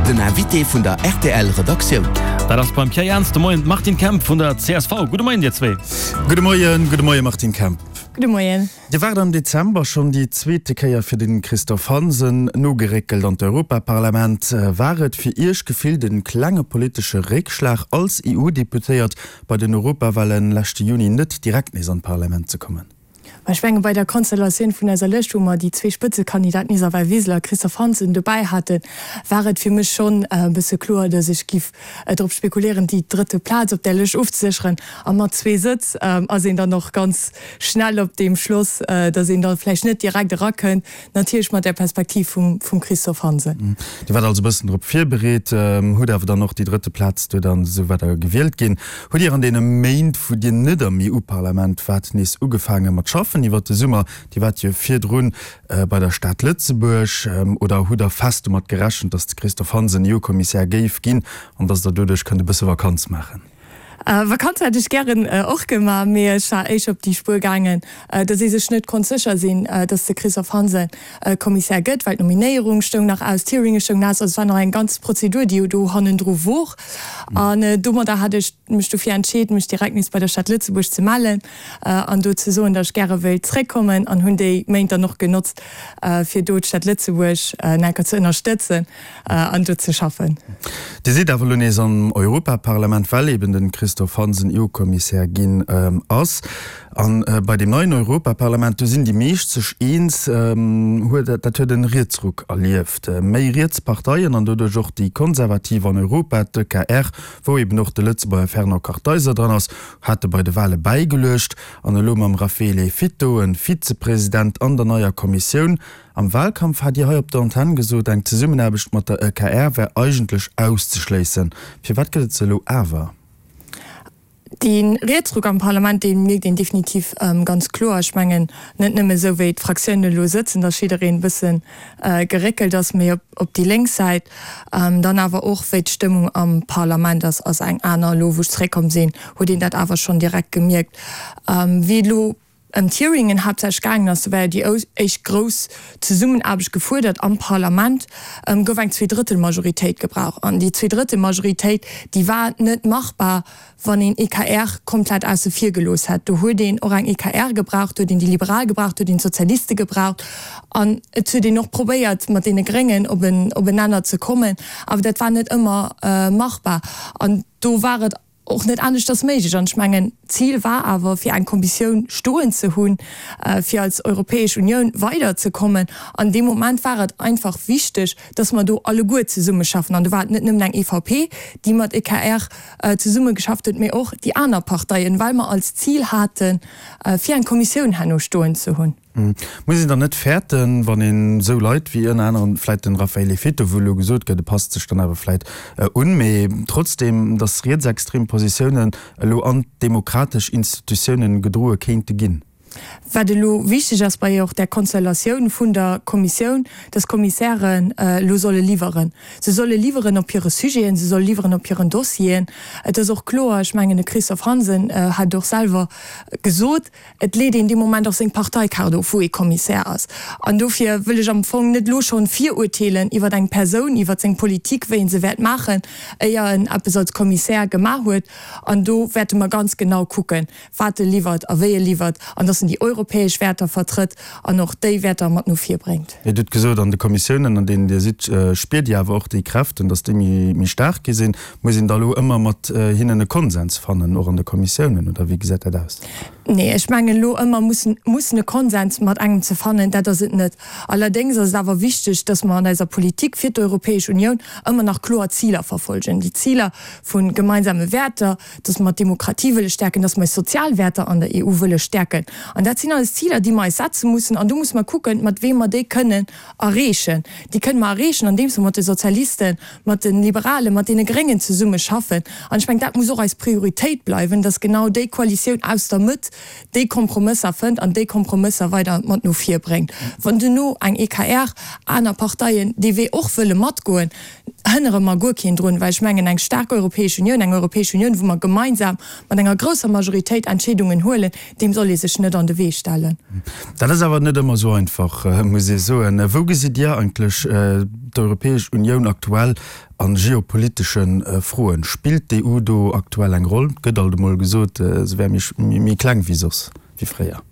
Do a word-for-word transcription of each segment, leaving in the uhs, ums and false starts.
Den Invité vun der R T L Redaktioun. Dat ass beim Pierre Jans de Moien d'Martine Kemp vun der C S V. Gudde Moien dir zwee. Gudde Moien, gudde Moie Martine Kemp. Gudde Moien. Dir waart am Dezember schonn déi zweete Kéier fir de Christophe Hansen nogeréckelt an d'Europaparlament. War et fir Iech gefillt e klenge politesche Réckschlag als E U-Deputéiert bei den Europawalen leschte Juni net direkt nees an d'Parlament ze kommen? Ech menge bei der Konstellatioun vun eiser Lëscht, wou mer déi zwee Spëtzekandidaten Isabel Wiseler a Christophe Hansen dobäi haten, war et fir mech schonn e bësse kloer, datt ech giff drop spekuléieren, déi drëtte Plaz op där Lëscht ofzesécheren. A mat zwee Sëtz ass een dann och ganz schnell op deem Schloss, datt een da vläicht net direkt erakënnt, natierlech mat där Perspektiv vum vum Christophe Hansen. Dir waart also e bëssen drop virbereet, hutt awer dann och déi drëtte Plaz do dann esou weider gewielt ginn. Hutt Dir an deene Méint, wou Dir net am E U-Parlament waart, nees ugefaange mat schaffen iwwer de Summer? Dir waart jo virdrun bei der Stad Lëtzebuerg. Oder hutt Der fest domat gerechent, datt de Christophe Hansen E U-Kommissär géif ginn an datt Der doduerch kënnt e bësse Vakanz maachen? Vakanz hätt ech gären och gemaach, mee ech war éischter op déi Spuer gaangen, datt ee sech net konnt sécher sinn, datt de Christophe Hansen Kommissär gëtt, well d'Nominéierung stoung nach aus, d'Hearinge stoungen aus, also et war nach eng ganz Prozedur, déi jo do hannendru wor. An domadder hat ech mech dofir entscheet, mech direkt nees bei der Stad Lëtzebuerg ze mellen an do ze soen, datt ech gäre wéilt zréckkommen, an hunn déi Méint dann och genotzt, fir do d'Stad Lëtzebuerg nach eng Kéier ze ënnerstëtzen an do ze schaffen. Dir sidd awer elo nees am Europaparlament, well eben de Christophe Hansen E U-Kommissär ginn ass. A bei deem neien Europaparlament, do sinn déi meescht sech eens, huet dat huet e Rietsruck erlieft. Méi riets Parteien an doduerch och déi Konservativ an Europa, d'E K R, wou eben och de Lëtzebuerger Fernand Kartheiser dran ass, hate bei de Wale bäigeluecht. An elo mam Raffaele Fitto e Vizepresident an der neier Kommissioun. Am Walkampf hat Dir hei op der Antenn gesot, eng Zesummenaarbecht mat der E K R wär eigentlech auszeschléissen. Firwat gëtt et se elo awer? De Rietsruck am Parlament, dee mierkt een definitiv ganz kloer. Ech mengen net nëmme esou wéi d'Fraktiounen elo sëtzen, datt jiddereen e bësse geréckelt ass méi op op déi lénks Säit, dann awer och wéi d'Stëmmung am Parlament ass, ass eng aner. Elo wou ech zeréckkomm sinn, huet een dat awer schonn direkt gemierkt. Wéi et elo ëm d'Hearingen haaptsächlech gaangen ass, do war jo déi éischt grouss Zesummenaarbecht gefuerdert am Parlament, gouf eng Zweedrëttelmajoritéit gebraucht. An déi Zweedrëttelmajoritéit, déi war net machbar, wann een E K R komplett ausse vir gelooss hätt. Do huet een och eng E K R gebraucht, do huet een déi Liberal gebraucht, do huet een d'Sozialiste gebraucht. An et huet een och probéiert, mat deene Gréngen op en op en Nenner ze kommen, awer dat war net ëmmer machbar. An do war et och net aneschters méiglech. An ech mengen, d'Zil war awer, fir eng Kommissioun stoen ze hunn, fir als Europäesch Unioun weiderzekommen. An deem Moment war et einfach wichteg, dass mer do alleguer zesummeschaffen. An do war et net nëmmen eng E V P, déi mat E K R zesummegeschafft huet, mee och déi aner Parteien, well mer als Zil haten, fir eng Kommissioun herno stoen ze hunn. Muss een dann net fäerten, wann een esou Leit wéi ënner anerem vläit den Raffaele Fitto, wou elo gesot gëtt, e passt sech dann awer vläit un, mee trotzdeem, datt rietsextrem Positiounen elo an d'demokratesch Institutiounen gedroe kéinte ginn? Wat elo wichteg ass bei och där Konstellatioun vun der Kommissioun, dass d'Kommissären elo solle liwweren. Se solle liwweren op hire Sujeten, se solle liwweren op hiren Dossieren. Et ass och kloer, ech mengen de Christophe Hansen hat et och selwer gesot, et leet een dee Moment och seng Parteikaart of, wou ee Kommissär ass. An dofir wëll ech am Fong net elo schonn virurteelen iwwer eng Persoun, iwwer seng Politik, wéi en se wäert maachen, éier en eppes als Kommissär gemaach huet. An do wäerte mer ganz genau kucken, wat e liwwert a wéi e liwwert an dass en déi europäesch Wäerter vertrëtt an och déi Wäerter mat no vir bréngt. Dir hutt gesot, an de Kommissiounen, an deenen Dir sidd, spiert Dir awer och déi Kräften, dass déi méi staark gi sinn. Muss een da elo ëmmer mat hinnen e Konsens fannen, och an de Kommissiounen, oder wéi gesäit dat aus? Nee, ech mengen, elo ëmmer mussen mussen e Konsens mat engem ze fannen, dat ass et net. Allerdéngs ass et awer wichteg, dass mer an eiser Politik fir d'Europäesch Unioun ëmmer nach kloer Ziler verfolgen, déi Ziler vu gemeinsame Wäerter, dass mer d'Demokratie wëlle stäerken, dass mer eis sozial Wäerter an der E U wëlle stäerken. An dat sinn alles Ziler, déi mer eis setze mussen. An do musse mer kucken, mat weem mer déi kënnen erreechen. Déi kënne mer erreechen, andeems mer mat de Sozialisten, mat de Liberalen, mat deene Gréngen zesummeschaffen. An ech mengen, dat muss och eis Prioritéit bleiwen, dass genau déi Koalitioun aus der Mëtt déi Kompromësser fënnt an déi Kompromësser weider mat no vir bréngt. Wann duerno eng E K R, aner Parteien dee Wee och wëlle matgoen, hënnere mer guer keen drun, well ech mengen, eng staark Europäesch Unioun, eng Europäesch Unioun, wou mer gemeinsam mat enger grousser Majoritéit Entscheedungen huelen, deem soll ee sech net an de Wee stellen. Dat ass awer net ëmmer esou einfach, muss ee soen. Wou gesitt Dir eigentlech d'Europäesch Unioun aktuell a geopolitesche Froen? Spillt d'EU do aktuell eng Roll? Et gëtt alt emol gesot, se wär méi kleng wéi soss, wéi fréier.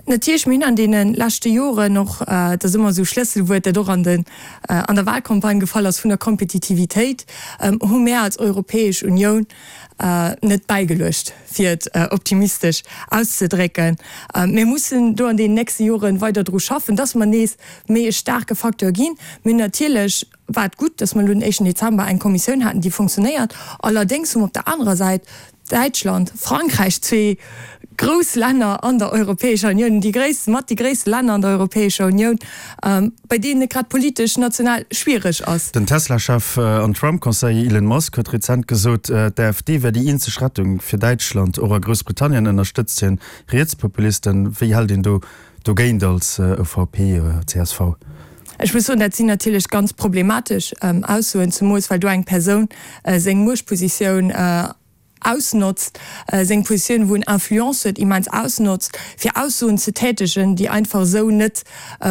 Natierlech, mir hunn an deene leschte Joren och, dat ass ëmmer esou e Schlësselwuert, dat och an den, an der Wahlcampagne gefall ass, vun der Kompetitivitéit, hu mär als Europäesch Unioun net bäigeluecht, fir et optimistesch auszedrécken. Mir mussen do an deenen nächste Jore weider dru schaffen, dass mer nees méi e staarke Facteur ginn. Mir hunn natierlech, war et gutt, dass mer elo den éischten Dezember eng Kommissioun haten, déi funktionéiert. Allerdéngs hu mer op der anerer Säit Däitschland, Frankräich, zwee grouss Länner an der Europäescher Unioun, déi gréisst, mat déi gréisste Länner an der Europäescher Unioun, bei deenen et grad politesch national schwiereg ass. Den Tesla-Chef an Trump-Conseiller Elon Musk huet rezent gesot, d'AfD wär déi eenzeg Rettung fir Däitschland. Och a Groussbritannien ënnerstëtzt hien Rietspopulisten. Wéi hält een do dogéint als ÖVP, csv? Ech muss soen, dat sinn natierlech ganz problematesch Aussoen, zemools well do eng Persoun seng Muechtpositioun ausnotzt, seng Positioun, wou en Influence huet, immens ausnotzt, fir Aussoen ze tätegen, déi einfach esou net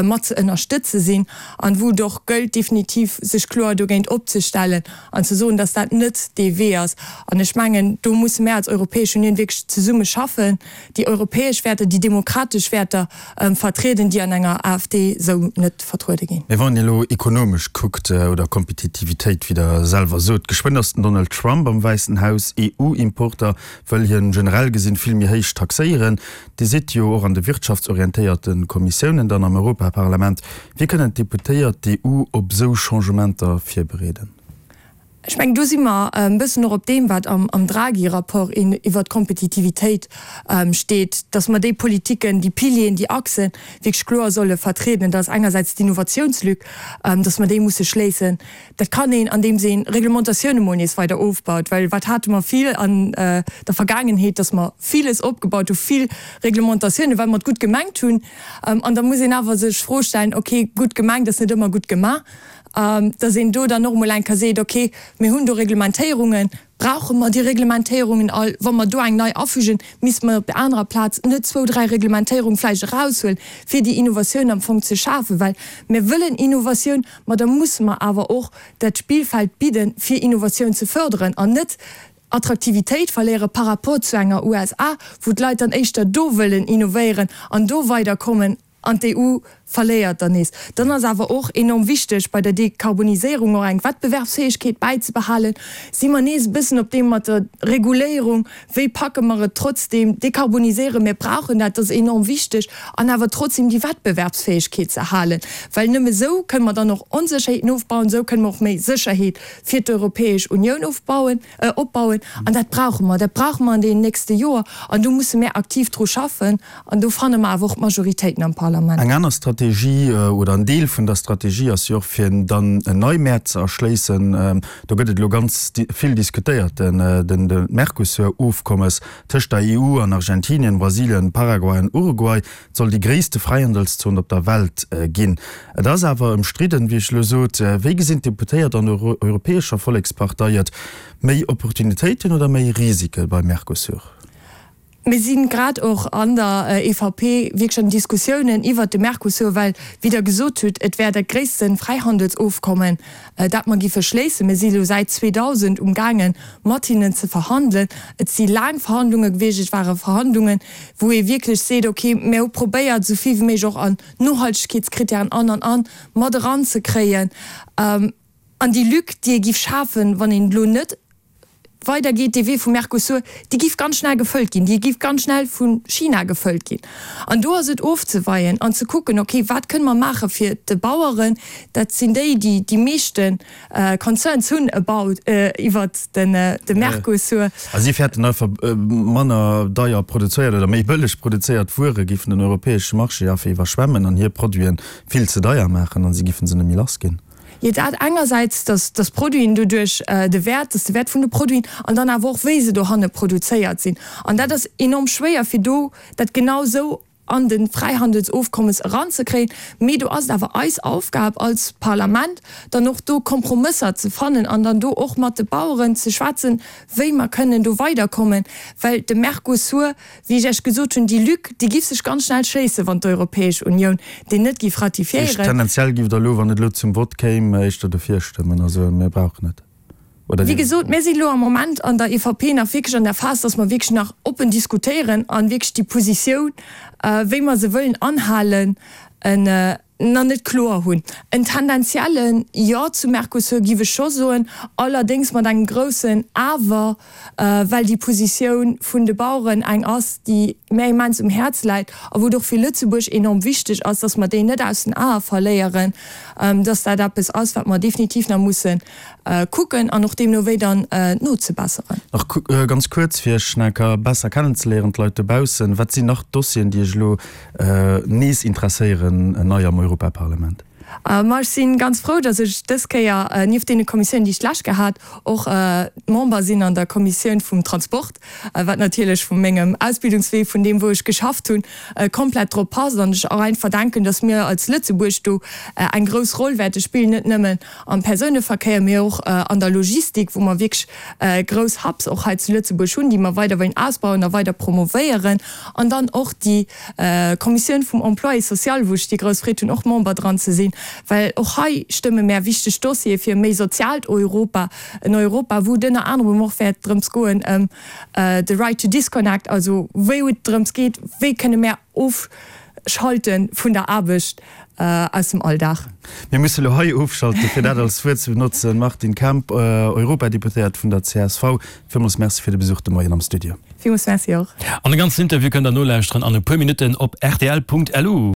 mat ze ënnerstëtze sinn an wou et och gëllt, definitiv sech kloer dogéint opzestellen an ze soen, dass dat net dee Wee ass. An ech mengen, do musse mär als Europäesch Unioun wierklech zesumme schaffen, déi europäesch Wäerter, déi demokratesch Wäerter vertrieden, déi an enger AfD esou net vertruede ginn. Mä wann een elo ekonomesch kuckt, oder Kompetitivitéit, wéi Der selwer sot, geschwënn ass den Donald Trump am Wäissen Haus, EU-Importer wëll hien generell gesinn vill méi héich taxéieren. Dir sidd jo och an de wirtschaftsorientéierte Kommissiounen dann am Europaparlament. Wéi kënnen d'Deputéiert d'EU op esou Changementer virbereeden? Ech mengen, do si mer e bëssen och op deem, wat am Draghi-Rapport iwwert d'Kompetitivitéit steet, dass mer déi Politiken, déi Pilieren, déi Achsen wierklech kloer solle vertrieden. Dat ass engersäits d'Innovatiounslück, dass mer déi musse schléissen. Dat kann een, andeems ee Reglementatioune mol nees weider ofbaut, well wat hate mer vill an der Vergaangenheet, dass mer villes opgebaut hu, vill Reglementatioune, well mer et gutt gemengt hunn. An da muss een awer sech d'Fro stellen, okay, gutt gemengt ass net ëmmer gutt gemaach. Dass een do dann och emol eng Kéier seet, okay, mir hunn do Reglementéierungen, brauche mer déi Reglementéierungen all? Wa mer do eng nei afügen, misste mer op där anerer Plaz net zwou, dräi Reglementéierung vläicht eraushuelen, fir déi Innovatioun am Fong ze schafen? Well mir wëllen Innovatioun, ma da musse mer awer och dat Spillfeld bidden, fir Innovatioun ze förderen an net Attraktivitéit verléiere par rapport zu enger USA, wou d'Leit dann éischter do wëllen innovéieren an do weiderkommen. An d'EU verléiert dann nees. Dann ass awer och enorm wichteg, bei der Dekarboniséierung och eng Wettbewerbsfäegkeet bäizebehalen. Si mer nees e bëssen op deem mat der Reguléierung, wéi packe mer et trotzdeem, dekarboniséieren, mir brauchen dat, dat ass enorm wichteg, an awer trotzdeem déi Wettbewerbsfäegkeet ze halen, well nëmme esou kënne mer dann och Onsécherheeten ofbauen, esou kënne mer och méi Sécherheet fir d'Europäesch Unioun ofbauen, opbauen. An dat brauche mer, dat brauche mer an deenen nächste Joer an do musse mär aktiv dru schaffen. An do fanne mer awer och d'Majoritéiten am Parlament. Eng aner Strategie oder en Deel vun der Strategie ass jo och, fir dann nei Mäert ze erschléissen. Do gëtt et elo ganz vill diskutéiert, den Mercosur-Ofkommes tëscht der EU an Argentinien, Brasilien, Paraguay an Uruguay. Et soll déi gréisste Fräihandelszon op der Welt ginn. Et ass awer ëmstridden, wéi ech elo sot. Wéi gesinn d'Deputéiert an der Europäescher Vollekspartei et? Méi Opportunitéiten oder méi Risike beim Mercosur? Mir si grad och an der EVP wierklech an Diskussiounen iwwert de Mercosur, well, wéi Der gesot hutt, et wär dat gréisste Fräihandelsofkommen, dat mer giffe schléissen. Mir si elo säit zweedausend umgaangen, mat hinnen ze verhandelen. Et si laang Verhandlunge gewiescht. Et ware Verhandlungen, wou ee wierklech seet, okay, mir hu probéiert, esou vill wéi méiglech och an Nohaltegkeetskritären an, an, an mat eranzekréien. An déi Lück, déi ee giff schafen, wann een elo net weidergeet, dee Wee vum Mercosur, déi giff ganz schnell gefëllt ginn, déi giff ganz schnell vu China gefëllt ginn. An do ass et ofzeweien an ze kucken, okay, wat kënne mer maache fir de Baueren, dat sinn déi, déi déi meeschte Concerns hunn about iwwert de Mercosur. A si fäerten einfach, manner deier produzéiert oder méi bëlleg produzéiert Wuere giffen den europäesche Marché einfach iwwerschwemmen an hir Produite vill ze deier maachen an si giffen se net méi lass ginn. Jo, dat engersäits, dass dass d'Produiten doduerch de Wäert, dass de Wäert vun de Produiten an dann awer och wéi se dohanne produzéiert sinn. An dat ass enorm schwéier, fir do dat genau esou an de Fräihandelsofkommes eranzekréien. Mee do ass et awer eis Aufgab als Parlament, dann och do Kompromësser ze fannen an dann do och mat de Baueren ze schwätzen, wéi mer kënnen do weiderkommen. Well de Mercosur, wéi ech Iech gesot hunn, déi Lück, déi giff sech ganz schnell schléissen, wann d'Europäesch Unioun deen net giff ratifiéieren. Tendenziell giff Der elo, wann et elo zum Vott kéim, éischter dofir stëmmen, also mir brauchen et. Oder Wéi gesot, mir sinn elo am Moment an der E V P nach wierklech an der Phas, dass mer wierklech nach oppen diskutéieren a wierklech déi Positioun, wéi mer se wëllen anhalen, nach net kloer hunn. En tendenzielle Jo zum Mercosur giff ech scho soen, allerdéngs mat engem groussen Awer, well déi Positioun vun de Baueren eng ass, déi mär immens um Häerz läit a wou et och fir Lëtzebuerg enorm wichteg ass, dass mer déi net aus den Ae verléieren, dass dat eppes ass, wat mer definitiv nach musse kucken an och deemno wéi dann nozebesseren. Nach ganz kuerz, fir Iech nach eng Kéier besser kennenzeléieren, d'Leit dobaussen, Wat sinn nach Dossieren, déi Iech elo nees interesséieren, nei am Europaparlament? Ma ech si ganz frou, datt ech dës Kéier nieft deene Kommissiounen, déi ech d'lescht Kéier hat, och Member sinn an der Kommissioun vum Transport, wat natierlech vu mengem Ausbildungswee, vun deem wou ech geschafft hunn, komplett drop passt an ech och einfach denken, datt mir als Lëtzebuerg do eng grouss Roll wäerte spillen, net nëmmen am Persouneverkéier, mee och an der Logistik, wou mer wierklech grouss Hubs och hei zu Lëtzebuerg hunn, déi mer weider wëllen ausbauen a weider promovéieren. An dann och déi Kommissioun vum Emploi et social, wou ech déi grouss Freed hunn, och Member dran ze sinn, well och hei stëmme mär wichteg Dossiere fir e méi soziaalt Europa, en Europa, wou et ënner anerem och wäert drëms goen, ëm de Right to disconnect, also wou et drëms geet, wéi kënne mär ofschalte vun der Aarbecht aus dem Alldag. Mir musse lo hei ofschalten, fir dat als Wuert ze benotzen. Martine Kemp, Europadeputéiert vun der C S V, villmools Merci fir de Besuch de Moien am Studio. Villmools Merci och. An de ganzen Interview kënnt der nolauschteren an e puer Minutten op R T L Punkt L U.